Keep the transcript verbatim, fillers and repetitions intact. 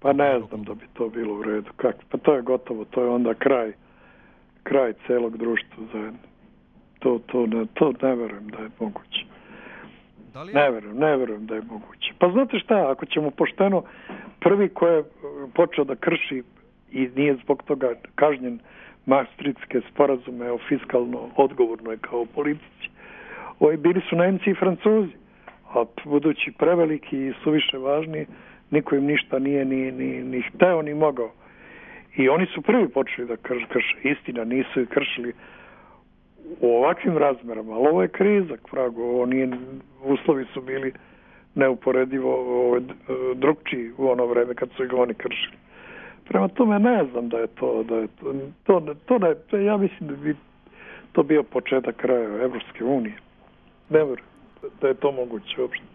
Pa ne znam da bi to bilo u redu. Kak? Pa to je gotovo, to je onda kraj, kraj celog društva zajedno. To, to, ne, to ne verujem da je moguće. Da li je... Ne verujem, ne verujem da je moguće. Pa znate šta, ako ćemo pošteno, prvi ko je počeo da krši i nije zbog toga kažnjen Maastrichtske sporazume o fiskalno odgovornoj kao politici, ovi bili su Nemci i Francuzi, a budući preveliki i suviše važni, niko im ništa nije ni, ni, ni hteo ni mogao. I oni su prvi počeli da krše. Krš. Istina, nisu i kršili u ovakvim razmerama, ali ovo je kriza, prago, ovo nije, uslovi su bili neuporedivo ovo, drugčiji u ono vreme kad su ih oni kršili. Prema tome ne znam da je to, da je to, to, to, da je, to ja mislim da bi to bio početak kraja Evropske unije. Ne verujem da je to moguće uopšte.